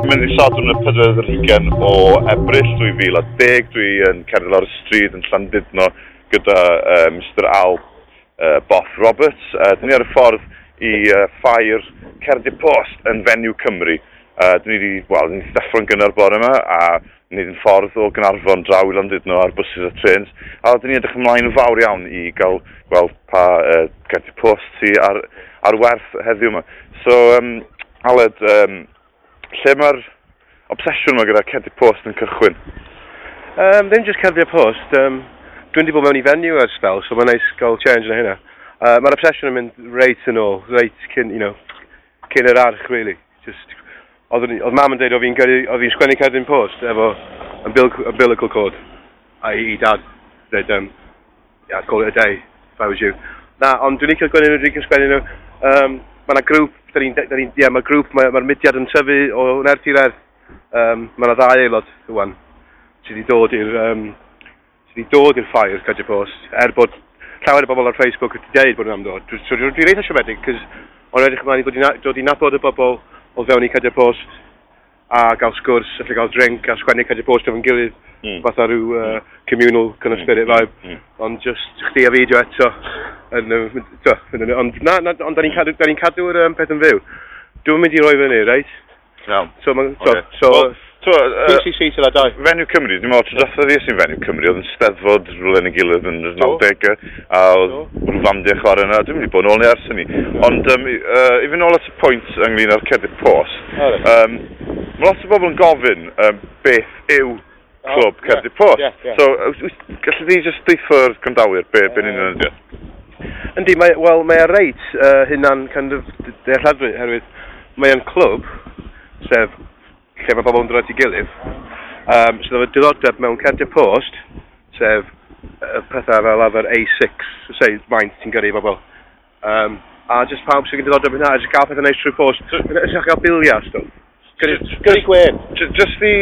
Mae'n ddydd Sadwrn y 24 o Ebrill 2010. Dwi yn cerdded lawr y stryd yn Llandudno gyda Mr Al Boff Roberts. Dyn ni ar y ffordd i ffair Cerdyn Post yn Venue Cymru. Dyn ni wedi, wel, dyn ni ddeffro'n gynnar bore yma a wneud yn ffordd o Gaernarfon draw i Landudno ar buses a trains. A dyn ni edrych ymlaen yn fawr iawn i gael gweld pa Cerdyn Post sy ar werth heddiw yma. So, Aled, lle mae'r obsesiwn yma gyda cerdyn post yn cychwyn? Ddim jyst cerdyn post. Dwi'n wedi bod mewn i venue ers spell, so mae'n neis gael change na hynna. Mae'r obsesiwn yn mynd reit yn ôl, reit cyn, cyn yr arch, really. Just, oedd mam yn dweud oedd fi'n sgwennu cerdyn post efo umbilical cord. A i dad, dweud, yeah, I'd call it a day if I was you. Na, ond dwi'n licio sgwennu nhw, dwi'n licio sgwennu nhw. Mae yna grŵp, mae'r grŵp, mae'r mudiad yn tyfu o nerth i nerth. Mae yna ddau aelod rwan sydd wedi dod i'r ffair Cerdyn Post, er bod llawer o bobl ar Facebook wedi dweud bod nhw'n am dod. So, dwi'n eitha siomedig, cos o'n edrych ymlaen i dod i nabod y bobl o fewn i Cerdyn Post a gael sgwrs, allu gael drink a sgwennu Cerdyn Post efo'n gilydd, fatha rhyw communal kind of spirit vibe. Ond just chdi a fi dio eto. Ond da ni'n cadw'r peth yn fyw. Dwi'n mynd i roi fyny, reit? Iawn. So, PCC till I die. Venue Cymru, dwi'n meddwl, tro diwetha fi sy'n Venue Cymru, oedd yn Steddfod rhywle yn ei gilydd yn yr 90au, a oedd rhyw fandiau chwarae yna, dwi'n mynd i bod yn ôl ni ers hynny. Ond i fynd nôl at y pwynt ynglyn â'r cerdyn post, mae lot o bobl yn gofyn beth yw clwb cerdyn post. So, gallu di jyst deutho'r gwrandawyr be'n union ydi o? Yndi, mae e reit hynna'n kind of dealladwy, herwydd mae e'n clwb, sef lle mae bobl yn dod at ei gilydd, sydd efo diddordeb mewn cerdyn post, sef pethau fel arfer A6, say, maint ti'n gyrru i bobl. A jyst pawb sy'n diddordeb hynna, a jyst gael pethau neis trwy post. Jyst gael biliau, stwff. Gyrru gwên. Jyst i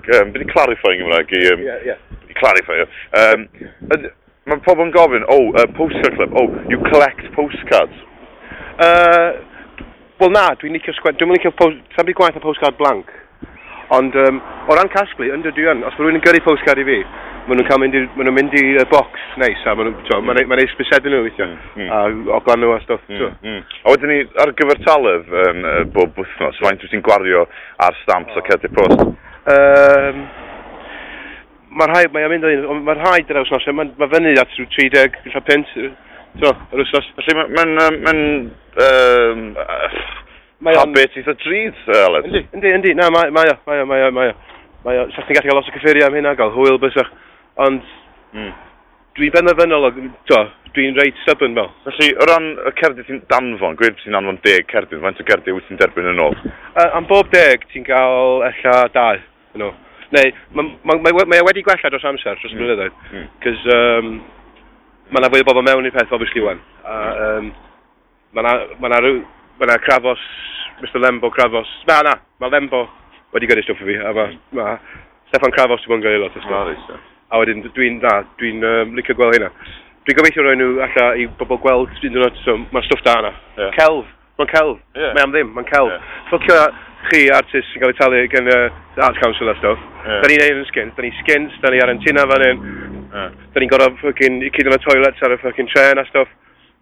beth i clarify yn Gymraeg, i clarify. Mae pobl yn gofyn, postcard club, you collect postcards. Wel na, dwi'n licio sgwennu, dwi'n licio post, sa'n byd gwaith o postcard blank. Ond o ran casglu, ynddo dwi yn, os mae rhywun yn gyrru postcard i fi, maen nhw'n cael mynd i'r, maen nhw'n mynd i'r box neis, a maen nhw'n, mae'n neis bysedu nhw weithiau, a oglan nhw a stwff. A wedyn ni, ar gyfartaledd bob wythnos, faint wyt ti'n gwario ar stamps a cerdyn post? Mae'r rhai, mae'n mynd o un, ond mae'r rhai dyna wythnos, mae fyny at rhyw 30, ella punt, so, yr wythnos. Felly mae'n habit eitha drud, Aled. Yndi, na, mae o. Sa chdi'n gallu cael lot o cyffuriau am hynna, gael hwyl bysach, ond dwi'n benderfynol, dwi'n reit stubborn fel. Felly, o ran y cerdyn ti'n danfon, gweud ti'n anfon 10 cerdyn, faint o cerdyn wyt ti'n derbyn yn ôl? Am bob 10, ti'n cael ella 2. You know. Neu, mae wedi gwella dros amser, dros blynyddoedd. Cos mae yna fwy o bobl mewn i'r peth, obviously, wan. A, mae yna Cravos, Mr Lembo Cravos. Na, mae Lembo wedi gyrru stwff i fi, a mae Steffan Cravos wedi bod yn gyrru lot o stwff. A wedyn, dwi'n licio gweld hynna. Dwi'n gobeithio roi nhw alla i bobl gweld un diwrnod, so mae stwff da yna. Celf, mae'n celf. Mae am ddim, mae'n celf. Ffwcio chi artist sy'n cael ei talu gan y Arts Council a stwff. Da ni'n neud yn skint, da ni'n skint, da ni ar antina fan hyn. Da ni'n gorfod fucking cyd yn y toilets ar y fucking tren a stwff.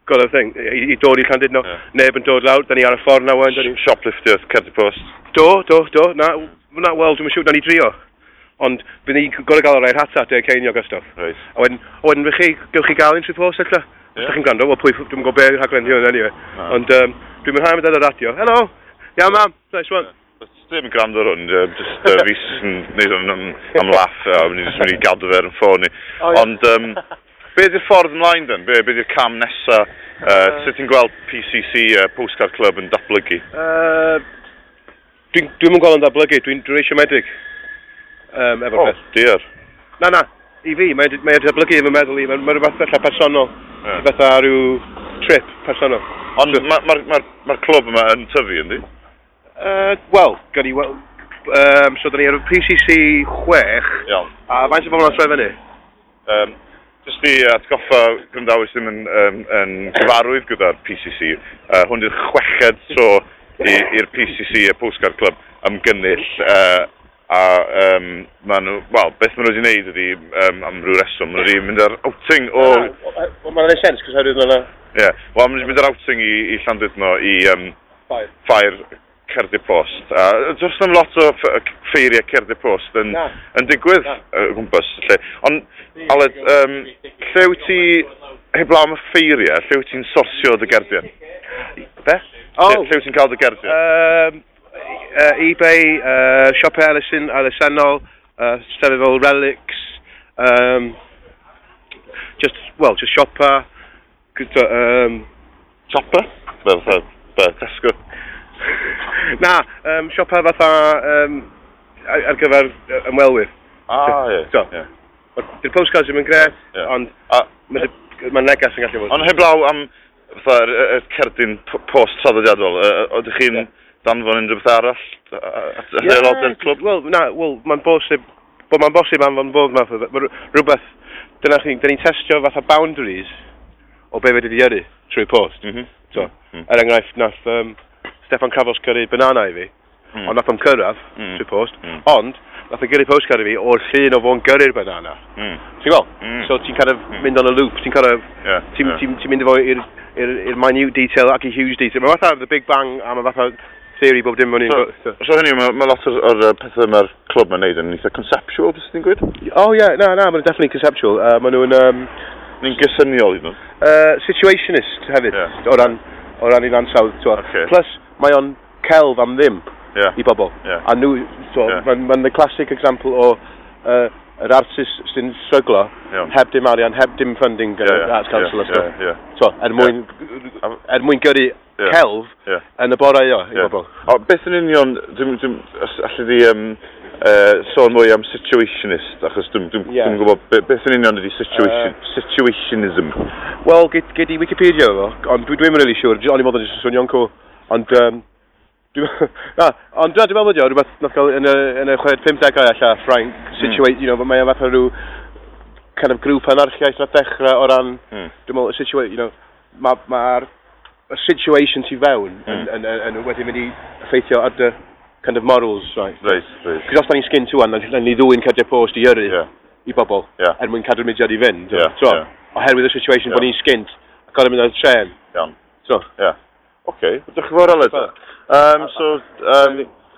Got a thing, i dod i Llandudno. Neb yn dod lawr, da ni ar y ffordd na wan. Da ni... Shopliftio cerdyn post. Do, na, wel, dwi'n siŵr, da ni drio. Ond bydd ni'n gorfod gael o'r rhata, 10 ceiniog a stwff. A wedyn chi, gewch chi gael un trwy post, ella? Os ydych chi'n gwrando, wel pwy, dwi'n gwybod be rhaglen hi hwn, anyway. Na. Ond dwi'n mwynhau mynd ar y radio. Helo! Iawn, mam! Nice one. Ddim yn gwrando ar hwn, just fi sy'n neud hwn am laff, a ni'n just mynd i gadw fe ar yn ffôn ni. O, ie. Ond, be ydy'r ffordd ymlaen then? Be ydy'r cam nesa? Sut ti'n gweld PCC, Postcard Club, yn datblygu? Dwi'n gweld yn datblygu, dwi'n eisiau medig efo'r Oh, peth. dear. Na, i fi, mae datblygu efo meddwl i, mae rhywbeth fatha personol, fatha rhyw trip personol. Ond mae'r ma clwb yma yn tyfu, yndi? Wel, gawn ni wel, so da ni ar y PCC 6, a faint o bobl yn troi fyny? Just i atgoffa gwrandawyr sydd ddim yn gyfarwydd gyda'r PCC, hwn di'r chweched tro i'r PCC, y Postcard Club, ymgynnull, a ma nhw, wel, beth maen nhw wedi wneud ydy, am ryw reswm, maen nhw wedi mynd ar outing o... Wel, mae'n neud sense, cos oherwydd mae'n Ie, yeah, wel, maen nhw wedi mynd ar outing i Llandudno i Ffair. ffair cerdyn post. A does na'm lot o ffeiriau cerdyn post yn, Na. yn digwydd Na. o gwmpas. Lle. Ond, Aled, lle wyt ti, heblaw am y ffeiriau, lle wyt ti'n sorsio dy gerdiau? Be? Lle wyt ti'n cael dy gerdiau? eBay, siopau elusennol, llefydd fel Relics, just, well, just siopa, gyda, Siopa? Be, fatha, be, Tesco? Na, siopa fatha ar gyfer ymwelwyr. Ah, ie. So, ie. Di'r postcards ddim yn gret, ond mae negas yn gallu fod. Ond heblaw am fatha'r y cerdyn post traddodiadol, ydych chi'n danfon unrhyw beth arall at Ie, aelodau'r clwb? Wel, na, wel, mae'n bosib, bod mae'n bosib anfon bob math o... Mae rhywbeth, dyna chi, dyn ni'n testio fatha boundaries o be fedri di yrru trwy post. So, er enghraifft, nath Steffan Cravos gyrru banana i fi, ond nath o'm cyrraedd trwy post, ond nath o gyrru postcard i fi o'r llun o fo'n gyrru'r banana. Ti'n gweld? So ti'n kind of mynd on a loop, ti'n kind of, ti'n ti mynd efo i'r minute detail ac i huge detail. Mae fatha The Big Bang a mae fatha theory bob dim o'n i'n... So hynny, mae lot o'r pethau mae'r clwb mae'n neud yn eitha conceptual, beth ti'n gweud? Oh yeah, na, maen nhw'n definitely conceptual. Maen nhw'n... Ni'n gysyniol i nhw. Situationist hefyd, o ran i'n ansawdd. Ocê. Plus, mae o'n celf am ddim i bobl. A nhw, so, mae'n ma the classic example o yr artist sy'n stryglo, heb dim arian, heb dim funding gan yr Arts Council a stuff. So, er mwyn gyrru celf yn y bore i bobl. O, beth yn union, dwi'n, os alli di sôn mwy am situationist, achos dwi'n dwi'm gwybod beth yn union ydy situationism. Wel, gei di Wikipedia fo, ond dwi'n really siŵr, o'n i'n meddwl jyst yn swnio'n cool. Ond, na, ond dwi'n meddwl bod o, rhywbeth nath gael yn y 50au alla, Ffrainc, situate, mae o fatha rhyw kind of grŵp anarchiaeth nath dechrau o ran, dwi'n meddwl, y situate, mae'r y situation tu fewn yn wedi mynd i effeithio ar dy kind of morals, right? Reit. Cos os da ni'n skint wan, na ni ddwy'n cerdyn post i yrru i bobl, er mwyn cadw'r mudiad i fynd. So, oherwydd y situation bod ni'n skint, a gorfod mynd ar y tren. Iawn. So. Ie. Oce, diolch yn fawr, Aled. So,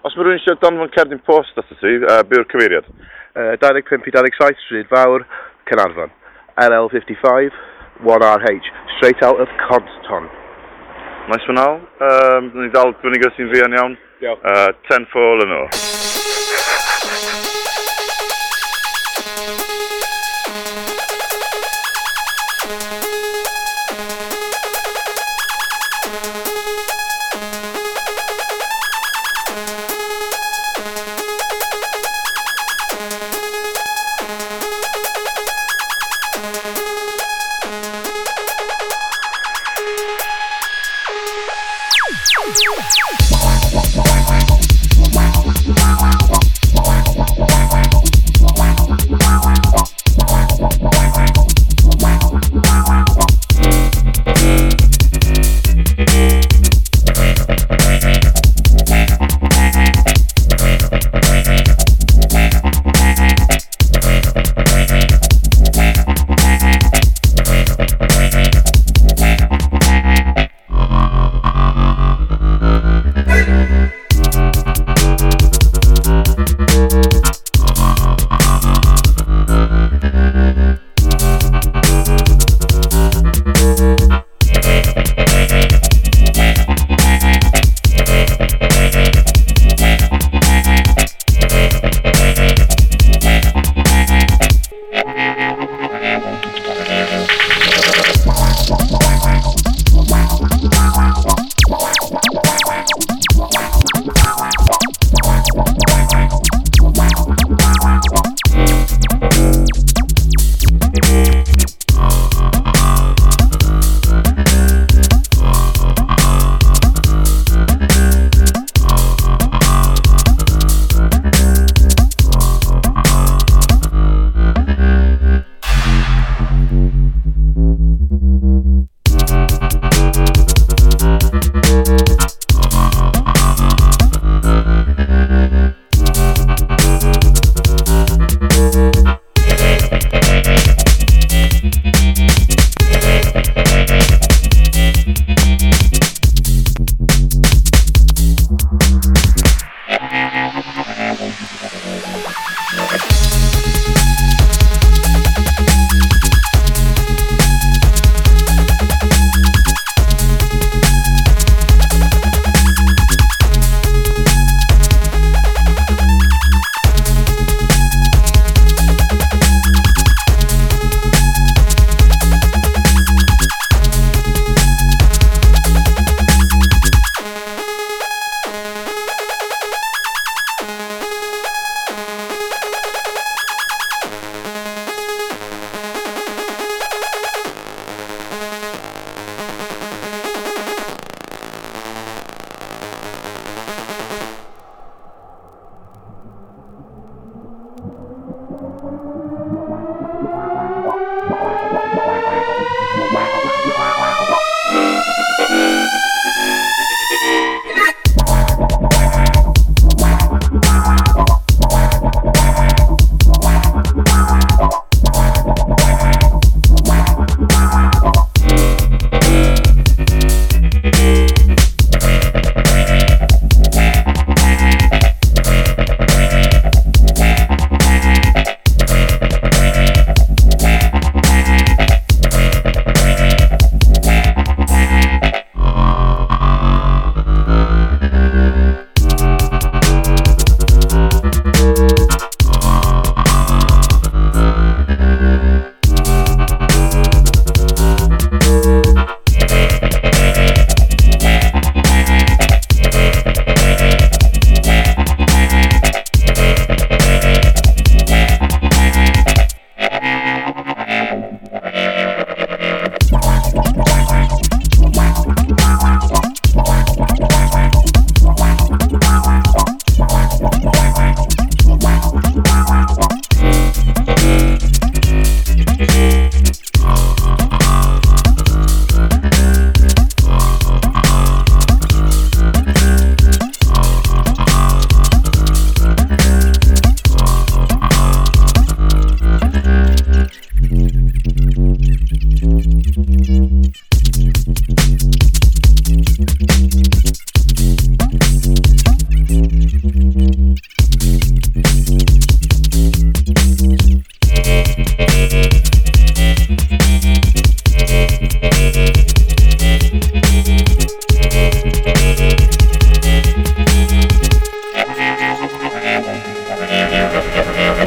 os mae rhywun eisiau danfon cerdyn post ato ti, be yw'r cyfeiriad? 25 i 27 Stryd Fawr, Caernarfon. LL55 1RH, straight out of Compton. Nice one, Al. Ni dal fyny gyda ti'n fuan iawn. Diolch. 10 for yn o.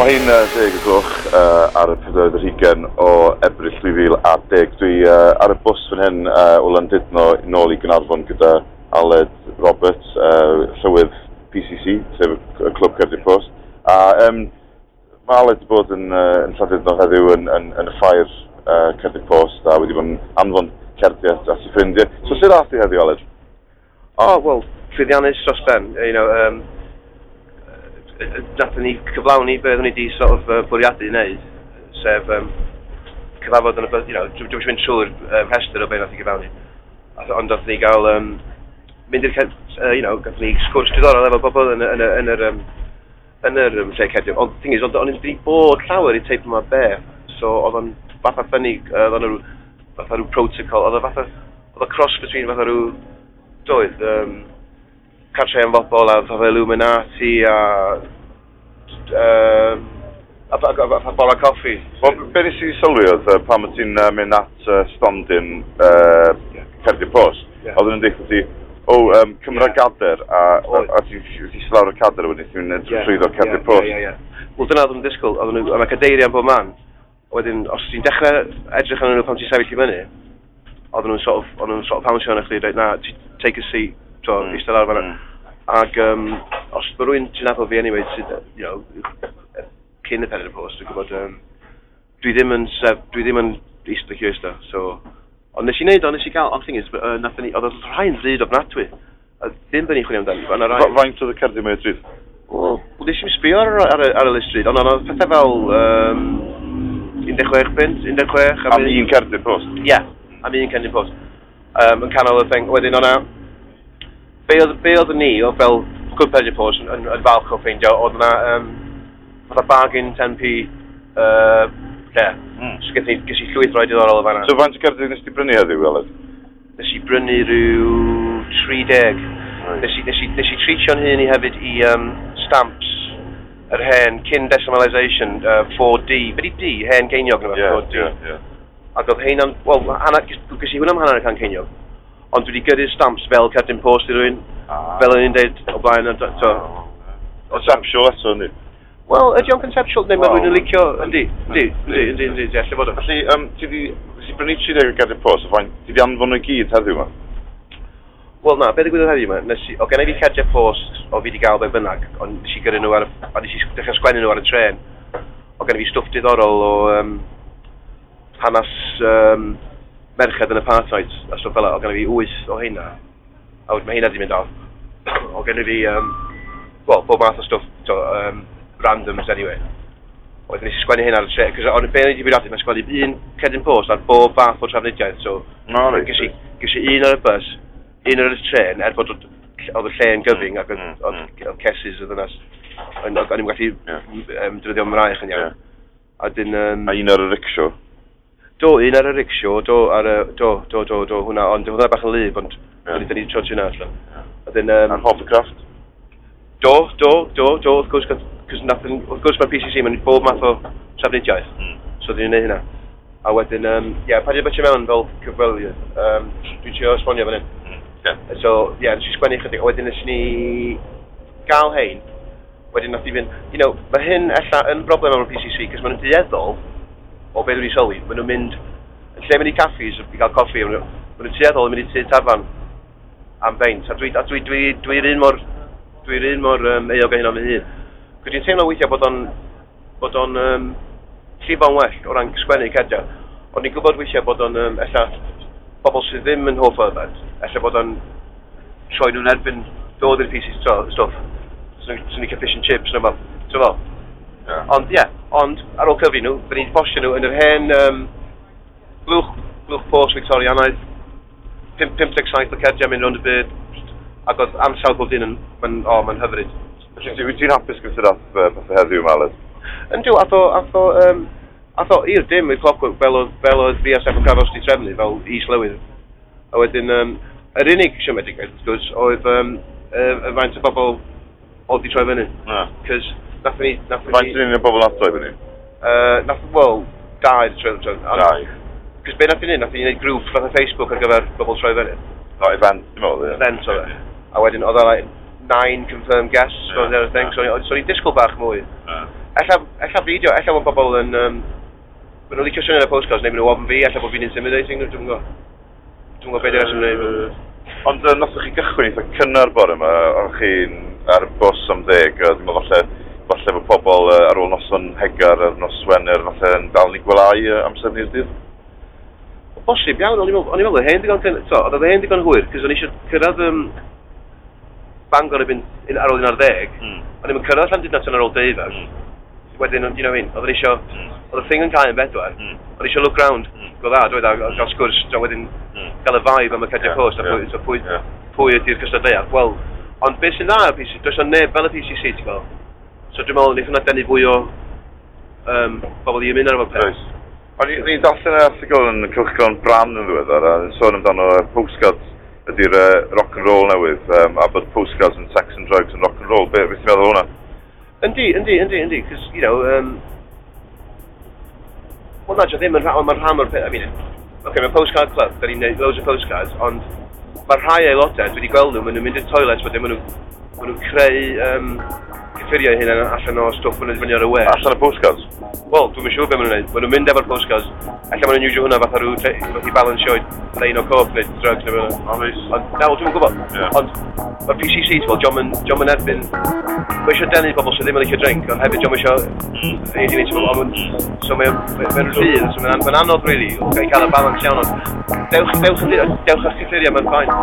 Mae hi'n 10 gloch ar y 24 o Ebrill 2010. Dwi ar y bws fan hyn o Landudno nôl i Gaernarfon gyda Aled Roberts, llywydd PCC, sef y Clwb Cerdiau Post. A mae Aled wedi bod yn Llandudno heddiw yn y ffair Cerdiau Post a wedi bod yn anfon cerdiau at ei ffrindiau. So sut ath i heddiw, Aled? Oh, wel, llwyddiannus dros ben. You know, nathon ni cyflawni be oeddwn ni wedi sort of bwriadu wneud, sef cyfarfod yn y, you know, dwi'm eisiau mynd trwy'r rhestr o be nath ni gyflawni, ond nathon ni gael mynd i'r, you know, gathon ni sgwrs diddorol efo bobl yn yr lle cerdiau. Ond thing is, o'n wedi bod llawer i teip yma beth, so oedd o'n fatha ffynnu, oedd o'n fatha rhyw protocol, oedd o fatha, oedd o cross between fatha rhyw, doedd, cartre am bobl a fatha Illuminati a bora coffi. Wel, be nes i sylwi oedd pan o ti'n mynd at stondin Cerdiau Post, oedden nhw'n deud ti, cymra gader, a ti'n lawr y cader wedyn, ti'n mynd trwyddo Cerdiau Post. Wel, dyna oedd nhw'n disgwyl, oedden nhw, a mae cadeiriau yn bob man. Wedyn, os ti'n dechrau edrych arnyn nhw pan ti'n sefyll i fyny, oedden nhw'n sort of pounceo arno chdi, dweud, na, take a seat, so, eistedd lawr fan'na. Ac os mae rhywun ti'n nabod fi anyway, sydd, you know, cyn y pen y post, dwi'n gwybod, dwi ddim yn eistedd lle eistedd, so... Ond nes i wneud, ond nes i gael, ond thing is, nathon ni, oedd y rhai'n ddrud ofnadwy. A ddim be ni'n chwilio amdani, ond rai... Faint oedd y cerdiau mwy o drud? Wel, nes i'm sbio ar y list drud, ond oedd pethau fel 16 punt, 16... Am un cerdyn post? Ie, am un cerdyn post. Yn canol y thing, wedyn o'na... Be oedd ni, oedd fel Good Pleasure Post yn falch o ffeindio, oedd yna fatha bargain 10p lle. So ges i llwyth roi diddorol o fan'na. So faint o cerdiau nes ti brynu heddiw, Aled? Nes i brynu rhyw 30. Right. Nes i treatio'n hun i hefyd i stamps yr hen cyn decimalisation 4D. Be di D? Hen geiniog neu 4D. Yeah. Ac oedd heina'n... Wel, ges i hwnna am hanner y can ceiniog. Ond dwi wedi gyrru'r stamps fel cerdyn post i rywun, fel o'n i'n deud o blaen. Conceptual eto, yndi? Wel, ydy o'n conceptual, neu mae rhywun yn licio, yndi, alle fod o. Felly, ti di brynu 30 o gerdyn post, ti di anfon nhw i gyd heddiw yma? Wel na, be ddigwyddodd heddiw yma, o gen i fi cerdiau post o fi di gael be bynnag, ond nes i gyrru nhw ar, a nes i dechrau sgwennu nhw ar y trên. O gen i fi stwff diddorol o hanes merched yn apartheid a stwff fel 'a, o gen i fi 8 o heina, a wedyn mae heina di mynd off. O gen i fi, wel, bob math o stwff, randoms anyway. Wedyn nes i sgwennu hyn ar y tre, cos o'n be o'n i wedi bwriadu, mae'n sgwennu un cerdyn post ar bob fath o trafnidiaeth, so No, reit. ges i un ar y bus, un ar y tren, er bod oedd y lle yn gyfyng ac oedd cesis oedd yna, o'n i'n gallu defnyddio mraich yn iawn. A dyn... A un ar y rickshaw? Do, un ar y rickshaw, do, ar y, do, hwnna, ond hwnna bach yn lyb, ond dyn ni trod hwnna allan. A dyn... A'r hovercraft? Do, wrth gwrs, cos wrth gwrs mae'r PCC, mae'n bob math o trafnidiaeth, so dyn ni'n neud hynna. A wedyn, ie, paid â bytio mewn fel cyfweliad, dwi'n trio esbonio fan hyn. So, ie, nes i sgwennu chydig, a wedyn nes ni gael hein, wedyn nath i fynd, you know, mae hyn ella yn broblem efo'r PCC, cos maen nhw'n dueddol, o beth dwi'n sylwi, maen nhw'n mynd, yn lle mynd i caffis i gael coffi, maen nhw'n tueddol yn mynd i tŷ tafarn am beint, a dwi'n un mor euog o hynna fy hun. Cos dwi'n teimlo weithiau bod o'n llifo'n well o ran sgwennu cardiau, ond ni'n gwybod weithiau bod o'n ella bobl sydd ddim yn hoff o yfed, ella bod o'n troi nhw'n erbyn dod i'r PCC stwff. So ni'n cael fish and chips, neu fel. Fel. Ond ie, ond ar ôl cyfri nhw, fy ni'n postio nhw yn yr hen blwch post Victorianaidd, 57 o cardiau mynd rownd y byd, ac oedd ansawdd bob dyn yn, mae'n hyfryd. Wyt ti'n hapus gyda ath pethau heddiw, Aled? Yndw, ath o i'r dim i'r clockwork fel oedd fi a Steffan Cravos wedi trefnu, fel is-lywydd. A wedyn, yr unig siomedigaeth, wrth gwrs, oedd y faint o bobl oedd di troi fyny. Cos nath ni... Faint yn unig o bobl nath troi fyny? Wel, dau di troi fyny. Dau. Cos be nath ni wneud grŵp fath o Facebook ar gyfer bobl troi fyny. O, event, dwi'n meddwl, ie. Event oedd e. A wedyn oedd e like 9 confirmed guests, yeah, the other thing, so o'n i'n disgwyl bach mwy. Ella fideo, ella bod bobl yn... Maen nhw'n licio syniad y postcards, neu maen nhw ofn fi, ella bod fi'n intimidating, dwi'n gwybod. Dwi'n gwybod beth yw'r reswm wneud. Ond nathoch chi gychwyn eitha cynnar bore yma, o'ch chi'n ar y bws am 10, dwi'n meddwl falle bod pobl ar ôl noson hegar ar nos Wener, falle yn dal ni gwelyau amser ni'r dydd? Bosib iawn, o'n i'n meddwl, oedd hen digon hwyr, cos o'n i eisiau cyrraedd Bangor erbyn ar ôl 11, o'n i'n cyrraedd Llandudno tan ar ôl 12. Wedyn, you know what I mean, oedd eisiau, oedd y thing yn cael yn 4, oedd eisiau look round, go dda, dweud, a gael sgwrs, wedyn gael y vibe am y cardiau post, a pwy ydy'r cystadleuaeth. Wel, ond beth sy'n dda ar PCC, does na neb fel y PCC, ti'n gweld. So dwi'n meddwl, wnaeth hwnna denu fwy o bobl i ymuno ar efo'r peth. O'n i'n darllen erthygl yn cylchgrawn Bran yn ddiweddar, a sôn amdano postcards ydy'r rock and roll newydd, a bod postcards yn sex and drugs and rock and roll. Be ti'n meddwl o hwnna? Yndi, cos, you know, well, na, ddim yn rhan, ond mae'n rhan o'r peth, I mean, okay, mae'n postcard club, da ni'n neud loads o postcards, ond mae rhai aelodau, dwi wedi gweld nhw, maen nhw'n mynd i'r toilet, wedyn maen nhw'n creu cyffuriau hynna allan o stwff maen nhw'n fyny ar y we. Allan o postcards? Wel, dwi'm yn siŵr beth maen nhw'n neud. Maen nhw'n mynd efo'r postcards, ella maen nhw'n iwsio hwnna fatha rhyw fath i balansio lein o coke neu drugs neu beth. Ond, na, wel, dwi'm yn gwybod. Ond mae'r PCC, ti'n gwybod, dio'm yn erbyn. Mae eisiau denu pobl sydd ddim yn licio drink, ond hefyd dio'm eisiau so mae'n rhydd, so mae'n anodd, really, i cael y balans iawn, ond dewch â'ch cyffuriau, mae'n fine.